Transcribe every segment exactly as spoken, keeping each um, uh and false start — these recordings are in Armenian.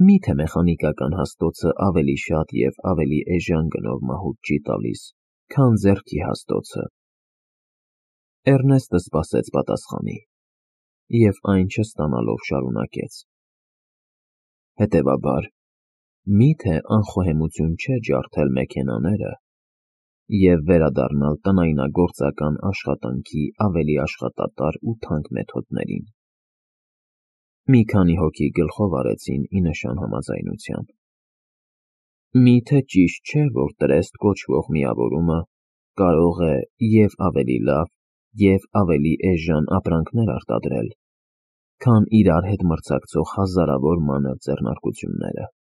Միթե մեխանիկական հաստոցը ավելի շատ և ավելի էժան գնով մահուճ չի տալիս, քան ձեռքի հաստոցը։ Էռնեստը սպասեց պատասխանի և այն չստանալով շարունակեց. Հետևաբար, միթե անխոհեմություն չէ ջարդել մեքենաները և վերադառնալ տնայնագործական աշխատանքի ավելի աշխատատար ու թանկ մեթոդներին։ Մի քանի հոգի գլխով արեցին ի նշան համաձայնության։ Միթե ճիշտ չէ, որ տրեստ կոչվող միավորումը կարող է և ավելի լավ, և ավելի էժան ապրանքներ արտադրել, քան իրար հետ մրցակցող հազարավոր մանր ձեռնարկությունները։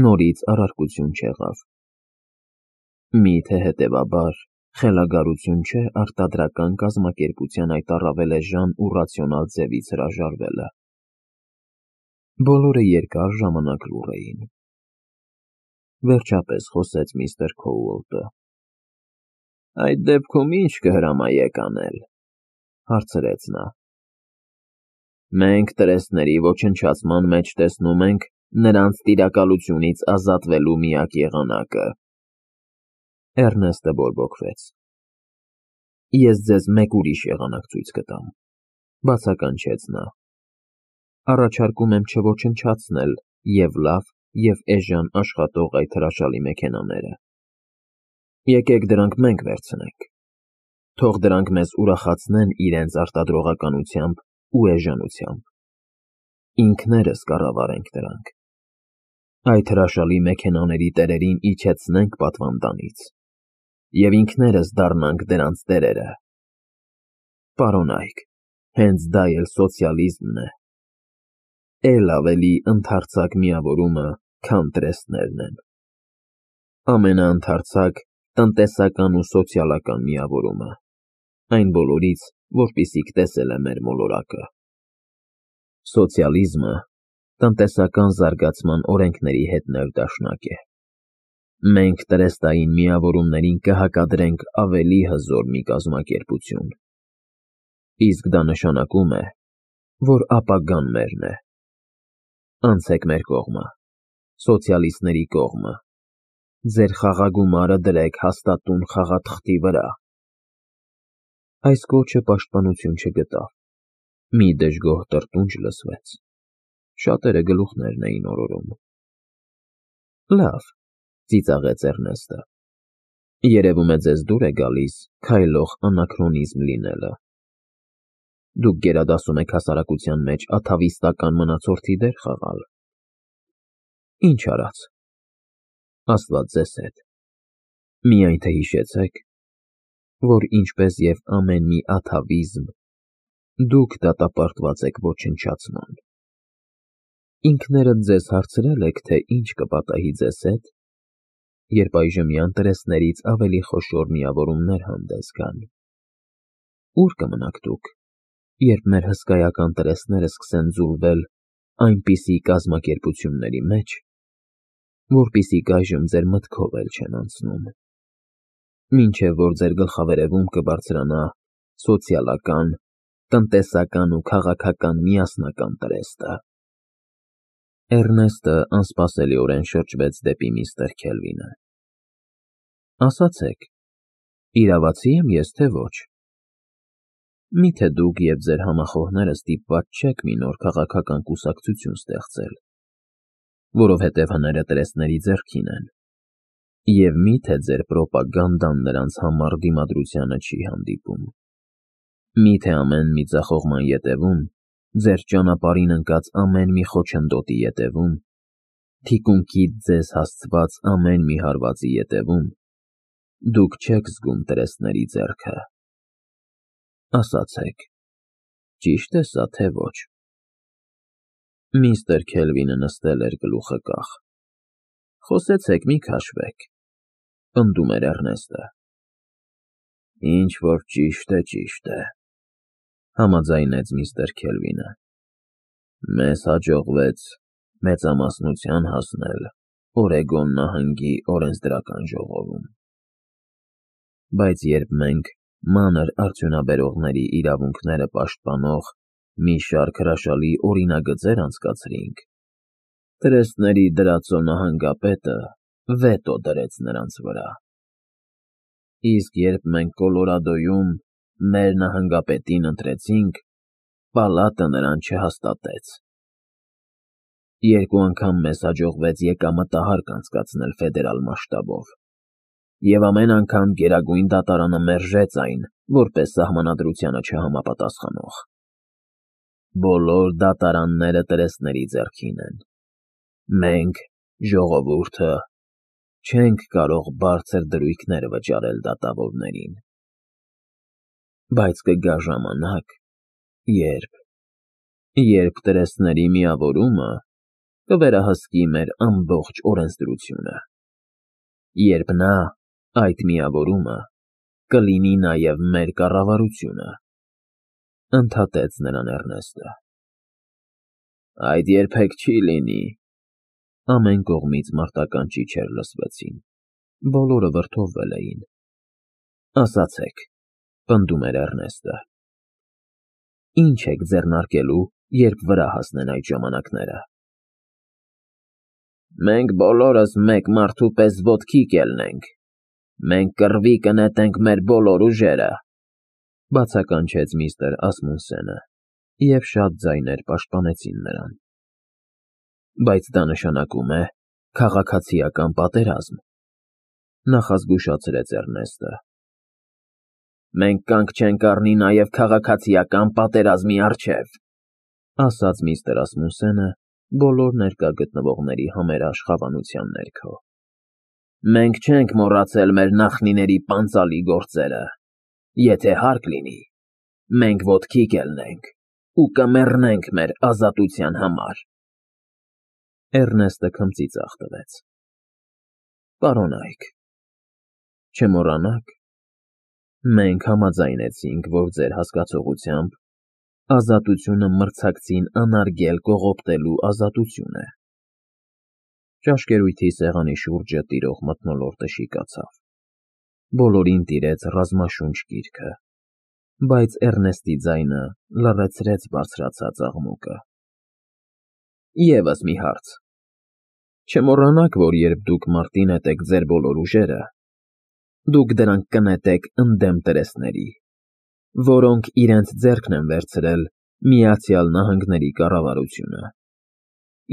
Նորից առարկություն չեղավ։ Միթե հետևաբար խելագարություն չէ արտադրական կազմակերպության այդ առավել էժան ու ռացիոնալ ձևից հրաժարվելը։ Բոլորը երկար ժամանակ լուռ էին։ Վերջապես խոսեց միստր Քոուալթը. Այդ դեպքում ի՞նչ կհրամայեք անել, հարցրեց նա։ Մենք տրեստների ոչնչացման մեջ տեսնում ենք նրանց տիրակալությունից ազատվելու միակ եղանակը։ Էռնեստը բորբոքվեց։ Ես ձեզ մեկ ուրիշ եղանակ ցույց կտամ, բացականչեց նա։ Առաջարկում եմ չոչնչացնել և լավ, և էժան աշխատող այդ հրաշալի մեքենաները։ Եկեք դրանք մենք վերցնենք։ Թող դրանք մեզ ուրախացնեն իրենց արտադրողականությամբ ու էժանությամբ։ Ինքներս կառավարենք դրանք։ Այդ հրաշալի մեքենաների տերերին իջեցնենք պատվանդանից և ինքներս դառնանք դրանց տերերը։ Պարոնայք, հենց դա էլ սոցիալիզմն է։ Էլ ավելի ընդարձակ միավորումը, քան տրեստներն են։ Ամենաընդարձակ տնտեսական ու սոցիալական միավորումը, այն բոլորից, որպիսիք տեսել է մեր մոլորակը։ Սոցիալիզմը տնտեսական զարգացման օրենքների հետ ներդաշնակ է։ Մենք տրեստային միավորումներին կհակադրենք ավելի հզոր մի կազմակերպություն։ Իսկ դա նշանակում է, որ ապագան մերն է։ Անցեք մեր կողմը, սոցիալիստների կողմը, ձեր խաղագումարը դրեք հաստատուն խաղաթղթի վրա։ Այս կոչը պաշտպանություն չգտավ։ Մի դժգոհ տրտունջ լսվեց։ Շատերը գլուխներն էին օրորում։ Լավ, ծիծաղեց Էռնեստը։ Երևում է ձեզ դուր է գալիս քայլող անաքրոնիզմ լինելը։ Դուք գերադասում եք հասարակության մեջ աթավիստական մնացորդի դեր խաղալ։ Ինչ արած։ Աստված ձեզ հետ։ Միայն թե հիշեցեք, որ ինչպես և ամեն մի աթավիզմ, դուք դատապարտված եք ոչնչացման։ Ինքներդ ձեզ հարցրե՞լ եք, թե ինչ կպատահի ձեզ հետ, երբ այժմյան տրեստներից ավելի խոշոր միավորումներ հանդես գան։ Ուր կմնաք դուք, երբ մեր հսկայական տրեստները սկսեն ձուլվել այնպիսի կազմակերպությունների մեջ, որպիսիք այժմ ձեր մտքով էլ չեն անցնում, մինչև որ ձեր գլխավերևում կբարձրանա սոցիալական, տնտեսական ու քաղաքական միասնական տրեստը։ Էռնեստը անսպասելիորեն շրջվեց դեպի միստր Քելվինը։ Ասացեք, իրավացի եմ ես, թե ոչ։ Միթե դուք և ձեր համախոհները ստիպված չեք մի նոր քաղաքական կուսակցություն ստեղծել, որովհետև հները տրեստների ձեռքին են, և միթե ձեր պրոպագանդան նրանց համառ դիմադրությանը չի հանդիպում։ Միթե ամեն մի ձախողման ետևում, ձեր ճանապարհին ընկած ամեն մի խոչընդոտի ետևում, թիկունքից ձեզ հասցված ամեն մի հարվածի ետևում, դուք չեք զգում տրեստների ձեռքը։ Ասացեք, ճի՞շտ է սա, թե ոչ։ Միստր Քելվինը նստել էր գլուխը կախ։ Խոսեցեք, մի քաշվեք, պնդում էր Էռնեստը։ Ինչ որ ճիշտ է, ճիշտ է, համաձայնեց միստր Քելվինը։ Մեզ հաջողվեց մեծամասնության հասնել Օրեգոն նահանգի օրենսդրական ժողովում։ Բայց երբ մենք մանր արդյունաբերողների իրավունքները պաշտպանող մի շարք հրաշալի օրինագծեր անցկացրինք, Տրեստների դրածո նահանգապետը վետո դրեց նրանց վրա, իսկ երբ մենք Կոլորադոյում մեր նահանգապետին ընտրեցինք, պալատը նրան չհաստատեց։ Երկու անգամ մեզ հաջողվեց եկամտահարկ անցկացնել ֆեդերալ մասշտաբով, և ամեն անգամ Գերագույն դատարանը մերժեց այն, որպես սահմանադրությանը չհամապատասխանող։ Բոլոր դատարանները տրեստների ձեռքին են։ Մենք, ժողովուրդը, չենք կարող բարձր դրույքներ վճարել դատավորներին։ Բայց կգա ժամանակ, երբ, երբ տրեստների միավորումը կվերահսկի մեր ամբողջ օրենսդրությունը, երբ նա, այդ միավորումը, կլինի նաև մեր կառավարությունը, ֊ ընդհատեց նրան Էռնեստը։ Այդ երբեք չի լինի։ Ամեն կողմից մարտական ճիչեր լսվեցին, բոլորը վրդովվել էին։ Ասացեք, ֊ պնդում էր Էռնեստը, ի՞նչ եք ձեռնարկելու, երբ վրա հասնեն այդ ժամանակները։ Մենք բոլորս մեկ մարդու պես ոտքի կելնենք, մենք կռվի կնետենք մեր բոլոր ուժերը, ֊ բացականչեց միստր Ասմունսենը, և շատ ձայներ պաշտպանեցին նրան։ Բայց դա նշանակում է քաղաքացիական պատերազմ, ֊ նախազգուշացրեց Էռնեստը։ Մենք կանգ չենք առնի նաև քաղաքացիական պատերազմի առջև, ֊ ասաց միստր Ասմունսենը բոլոր ներկա գտնվողների համերաշխ հավանության ներքո։ Մենք չենք մոռացել մեր նախնիների պանծալի գործերը, եթե հարկ լինի, մենք ոտքի կելնենք ու կմեռնենք մեր ազատության համար։ Էռնեստը քմծիծաղ տվեց։ Պարոնայք, չմոռանաք, մենք համաձայնեցինք, որ ձեր հասկացողությամբ ազատությունը մրցակցին անարգել կողոպտելու ազատություն է։ Ճաշկերույթի սեղանի շուրջը տիրող մթնոլորտը շիկացավ, բոլորին տիրեց ռազմաշունչ կիրքը, բայց Էռնեստի ձայնը լռեցրեց բարձրացած աղմուկը։ Եվս մի հարց. չմոռանաք, որ երբ դուք մարտի նետեք ձեր բոլոր ուժերը, դուք դրանք կնետեք ընդդեմ տրեստների, որոնք իրենց ձեռքն են վերցրել Միացյալ Նահանգների կառավարությունը,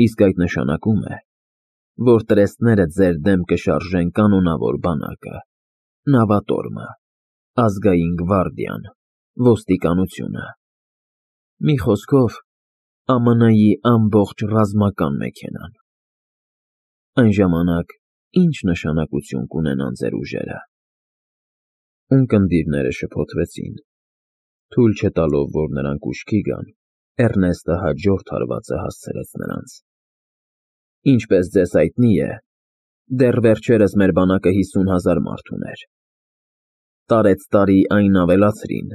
իսկ այդ նշանակում է, որ տրեստները ձեր դեմ կշարժեն կանոնավոր բանակը, նավատորմը, ազգային գվարդիան, ոստիկանությունը, մի խոսքով, Ամը Նը֊ի ամբողջ ռազմական մեքենան։ Այն ժամանակ ի՞նչ նշանակություն կունենան ձեր ուժերը։ Ունկնդիրները շփոթվեցին, թույլ չտալով, որ նրանք ուշքի գան, Էռնեստը հաջորդ հարվածը հասցրեց նրանց։ Ինչպես ձեզ հայտնի է, դեռ վերջերս մեր բանակը հիսուն հազար մարդ ուներ։ Տարեցտարի այն ավելացրին,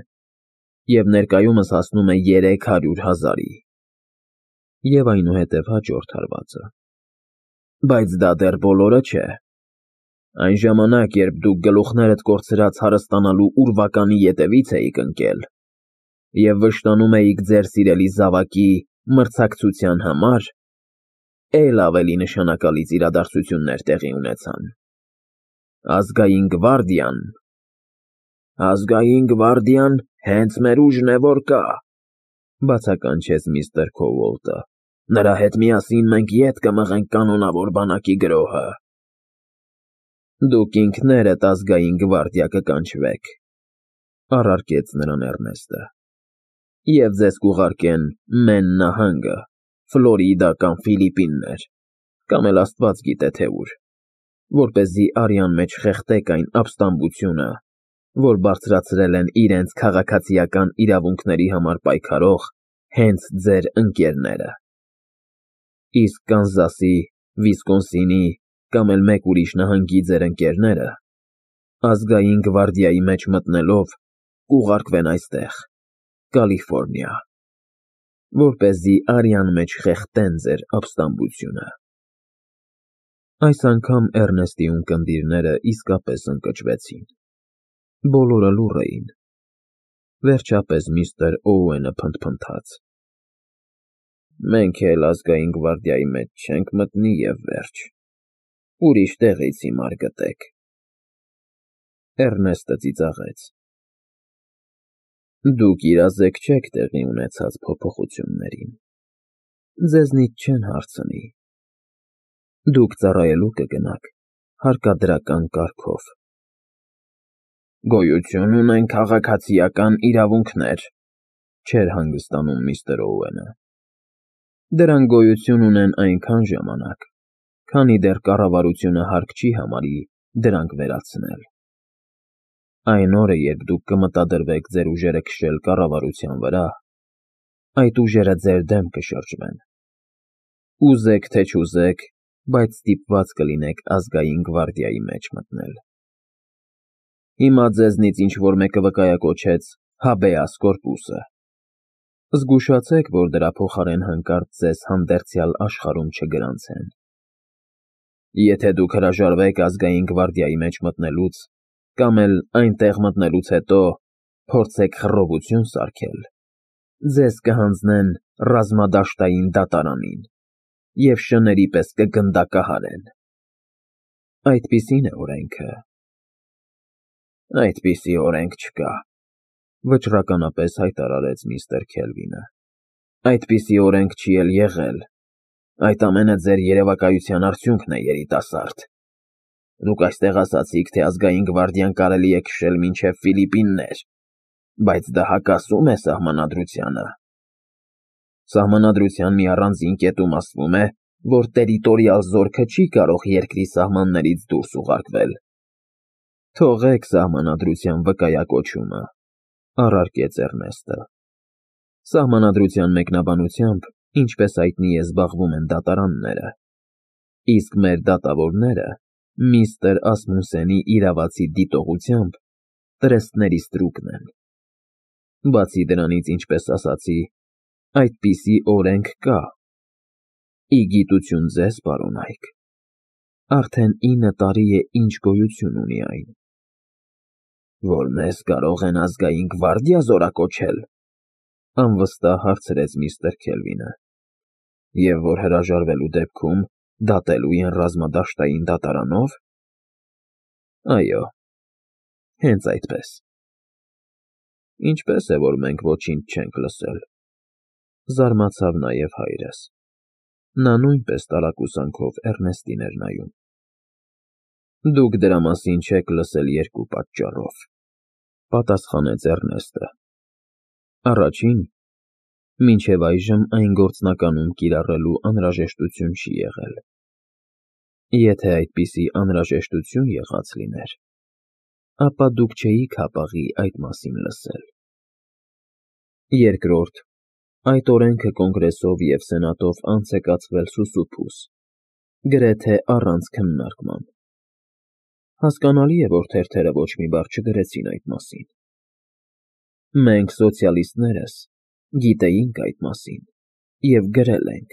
և ներկայումս հասնում է երեք հարյուր հազարի։ Եվ այնուհետև հաջորդ հարվածը։ Բայց դա դեռ բոլորը չէ։ Այն ժամանակ, երբ դուք գլուխներդ կորցրած հարստանալու ուրվականի ետևից էիք ընկել և վշտանում էիք ձեր սիրելի զավակի մրցակցության համար, էլ ավելի նշանակալից իրադարձություններ տեղի ունեցան։ Ազգային գվարդիան… Ազգային գվարդիան հենց մեր ուժն է, որ կա, ֊ բացականչեց միստր Քոուոլտը։ Նրա հետ միասին մենք ետ կմղենք կանոնավոր բանակի գրոհը։ Դուք ինքներդ ազգային գվարդիա կկանչվեք, ֊ առարկեց նրան Էռնեստը, և ձեզ կուղարկեն Մեն նահանգը, Ֆլորիդա կամ Ֆիլիպիններ, կամ էլ աստված գիտե թե ուր, որպեսզի արյան մեջ խեղդեք այն ապստամբությունը, որ բարձրացրել են իրենց քաղաքացիական իրավունքների համար պայքարող հենց ձեր ընկերները։ Իսկ Կանզասի, Վիսկոնսինի կամ էլ մեկ ուրիշ նահանգի ձեր ընկերները, ազգային գվարդիայի մեջ մտնելով, կուղարկվեն այստեղ, Կալիֆոռնիա, որպեսզի արյան մեջ խեղդեն ձեր ապստամբությունը։ Այս անգամ Էռնեստի ունկնդիրները իսկապես ընկճվեցին։ Բոլորը լուռ էին։ Վերջապես միստր Օուենը փնթփնթաց. Մենք էլ ազգային գվարդիայի մեջ չենք մտնի և վերջ, ուրիշ տեղից հիմար գտեք։ Էռնեստը ծիծաղեց։ Դուք իրազեկ չեք տեղի ունեցած փոփոխություններին, ձեզնից չեն հարցնի։ Դուք ծառայելու կգնաք հարկադրական կարգով։ Գոյություն ունեն քաղաքացիական իրավունքներ, չէր հանգստանում միստր Օուենը։ Դրանք գոյություն ունեն այնքան ժամանակ, քանի դեռ կառավարությունը հարկ չի համարի դրանք վերացնել։ Այն օրը, երբ դուք կմտադրվեք ձեր ուժերը քշել կառավարության վրա, այդ ուժերը ձեր դեմ կշրջվեն։ Ուզեք թե չուզեք, բայց ստիպված կլինեք ազգային գվարդիայի մեջ մտնել։ Հիմա ձեզնից ինչ-որ մեկը վկայակոչեց Habeas Corpus-ը։ Զգուշացեք, որ դրա փոխարեն հանկարծ ձեզ հանդերձյալ աշխարհում չգրանցեն։ Եթե դուք հրաժարվեք ազգային գվարդիայի մեջ մտնելուց, կամ էլ այնտեղ մտնելուց հետո փորձեք խռովություն սարքել, ձեզ կհանձնեն ռազմադաշտային դատարանին և շների պես կգնդակահարեն։ Այդպիսին է օրենքը։ Այդպիսի օրենք չկա, վճռականապես հայտարարեց միստր Քելվինը։ Այդպիսի օրենք չի էլ եղել։ Այդ ամենը ձեր երևակայության արդյունքն է, երիտասարդ։ Դուք այստեղ ասացիք, թե ազգային գվարդիան կարելի է քշել մինչև Ֆիլիպիններ, բայց դա հակասում է սահմանադրությանը։ Սահմանադրության մի առանձին կետում ասվում է, որ տերիտորիալ զորքը չի կարող երկրի սահմաններից դուրս ուղարկվել։ Թողեք սահմանադրության վկայակոչումը, առարկեց Էռնեստը։ Սահմանադրության մեկնաբանությամբ, ինչպես հայտնի է, զբաղվում են դատարանները, իսկ մեր դատավորները միստր Ասմունսենի իրավացի դիտողությամբ տրեստների ստրուկն են։ Բացի դրանից, ինչպես ասացի, այդպիսի օրենք կա։ Ի գիտություն ձեզ, պարոն Այք, արդեն ինը տարի է ինչ գոյություն ունի այն։ Որ մեզ կարող են ազգային գվարդիա զորակոչել, անվստահ հարցրեց միստր Քելվինը, և որ հրաժարվելու դեպքում դատելու են ռազմադաշտային դատարանով։ Այո, հենց այդպես։ Ինչպես է, որ մենք ոչինչ չենք լսել, զարմացավ նաև հայրս։ Նա նույնպես տարակուսանքով Էռնեստին էր նայում։ Դուք դրա մասին չեք լսել երկու պատճառով, պատասխանեց Էռնեստը։ Առաջին, մինչև այժմ այն գործնականում կիրառելու անհրաժեշտություն չի եղել։ Եթե այդպիսի անհրաժեշտություն եղած լիներ, ապա դուք չէիք հապաղի այդ մասին լսել։ Երկրորդ, այդ օրենքը կոնգրեսով և սենատով անց է կացվել սուսուփուս, գրեթե առանց քննարկման։ Հասկանալի է, որ թերթերը ոչ մի բառ չգրեցին այդ մասին։ Մենք սոցիալիստներս գիտեինք այդ մասին և գրել ենք,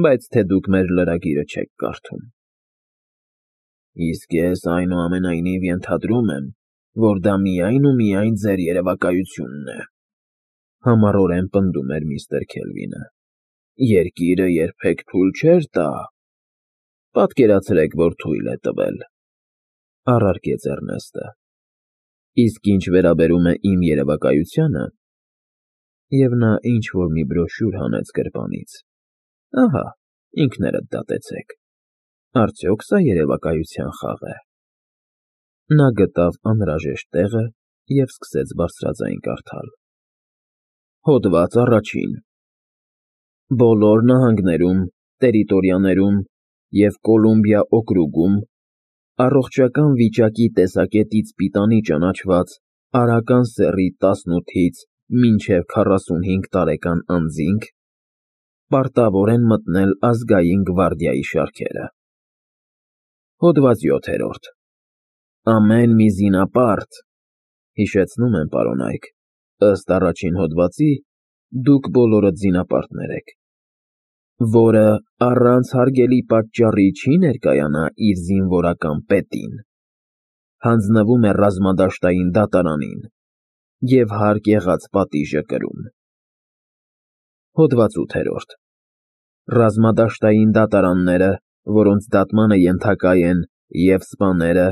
բայց թե դուք մեր լրագիրը չեք կարդում։ Իսկ ես այնուամենայնիվ ենթադրում եմ, որ դա միայն ու միայն ձեր երևակայությունն է, համառորեն պնդում էր միստր Քելվինը։ Երկիրը երբեք թույլ չէր տա։ Պատկերացրեք, որ թույլ է տվել, առարկեց Էռնեստը։ Իսկ ինչ վերաբերում է իմ երևակայությանը, և նա ինչ-որ մի բրոշյուր հանեց գրպանից, ահա, ինքներդ դատեցեք, արդյոք սա երևակայության խաղ է։ Նա գտավ անհրաժեշտ տեղը և սկսեց բարձրաձայն կարդալ։ Հոդված առաջին. Բոլոր նահանգներում, տերիտորիաներում և Կոլումբիա օկրուգում առողջական վիճակի տեսակետից պիտանի ճանաչված արական սեռի տասնութից մինչև քառասունհինգ տարեկան անձինք պարտավոր են մտնել ազգային գվարդիայի շարքերը։ Հոդված յոթերորդ. Ամեն մի զինապարտ, հիշեցնում եմ, պարոն Այք, ըստ առաջին հոդվածի, դուք բոլորդ զինապարտներ եք, որը առանց հարգելի պատճառի չի ներկայանա իր զինվորական պետին, հանձնվում է ռազմադաշտային դատարանին և հարկ եղած պատիժը կրում։ Հոդված ութ Ռազմադաշտային դատարանները, որոնց դատմանը ենթակա են և՛ սպաները,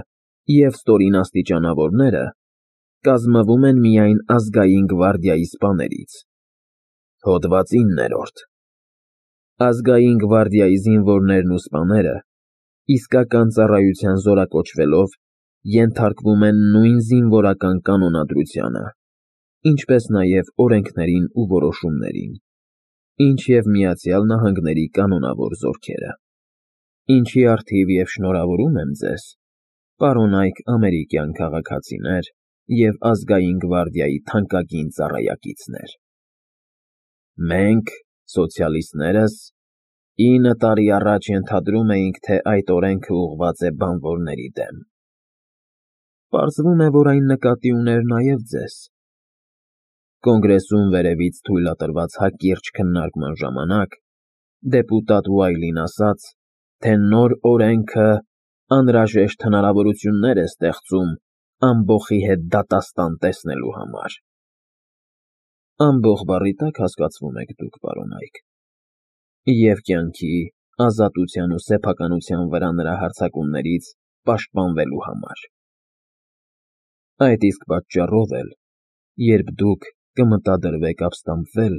և՛ ստորին աստիճանավորները, կազմվում են միայն ազգային գվարդիայի սպաներից։ Հոդված ինը Ազգային գվարդիայի զինվորներն ու սպաները, իսկական ծառայության զորակոչվելով, ենթարկվում են նույն զինվորական կանոնադրությանը, ինչպես նաև օրենքներին ու որոշումներին, ինչ և Միացյալ Նահանգների կանոնավոր զորքերը, ինչի առթիվ և շնորհավորում եմ ձեզ, պարոնայք ամերիկյան քաղաքացիներ և Ազգային գվարդիայի թանկագին ծառայակիցներ. Մենք, սոցիալիստներս, ինը տարի առաջ ենթադրում էինք, թե այդ օրենքը ուղղված է բանվորների դեմ. պարզվում է, որ այն նկատի ուներ նաև ձեզ։ Կոնգրեսում վերևից թույլատրված հակիրճ քննարկման ժամանակ դեպուտատ Ուայլին ասաց, թե նոր օրենքը անհրաժեշտ հնարավորություններ է ստեղծում ամբոխի հետ դատաստան տեսնելու համար։ Ամբոխ բառի տա՞կ հասկացվում եք դուք, պարոնայք, և կյանքի, ազատության ու սեփականության վրա նրա հարձակումներից պաշտպանվելու համար։ Այդ իսկ պատճառով էլ, երբ դուք կմտադրվեք ապստամբվել,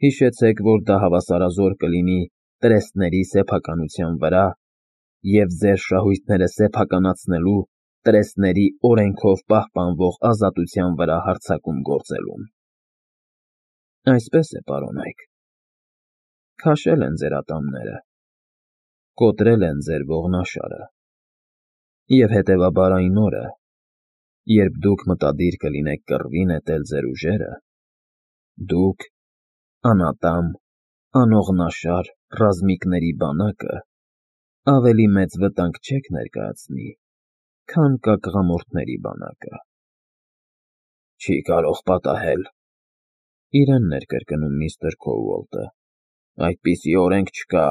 հիշեցեք, որ դա հավասարազոր կլինի տրեստների սեփականության վրա և ձեր շահույթները սեփականացնելու տրեստների օրենքով պահպանվող ազատության վրա հարձակում գործելուն։ Այսպես է, պարոնայք, քաշել են ձեր ատամները, կոտրել են ձեր ողնաշարը, և հետևաբար այն օրը, երբ դուք մտադիր կլինեք կռվի նետել ձեր ուժերը, դուք, անատամ, անողնաշար ռազմիկների բանակը, ավելի մեծ վտանգ չեք ներկայացնի, քան կակղամորթների բանակը։ Չի կարող պատահել, իրեն ներկրկնում միստր Քոուալթը, այդպիսի օրենք չկա,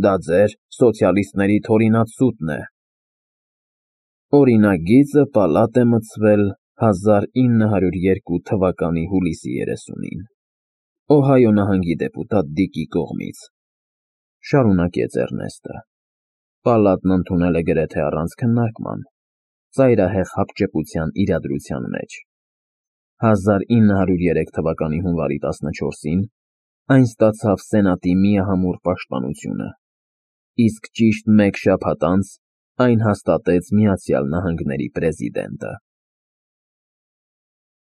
դա ձեր սոցիալիստների թորինացուտն է։ Օրինագիծը պալատ է մտցվել հազար ինը հարյուր երկու թվականի հուլիսի երեսունին, Օհայո նահանգի դեպուտատ Դիկի կողմից, շարունակեց Էռնեստը, պալատն ընդունել է գրեթե առանց քննարկման, ծայրահեղ հապճեպության իրադրության մեջ։ հազար ինը հարյուր երեք թվականի հունվարի տասնչորսին այն ստացավ սենատի միահամուռ պաշտպանությունը, իսկ ճիշտ մեկ շաբաթ անց այն հաստատեց Միացյալ Նահանգների պրեզիդենտը։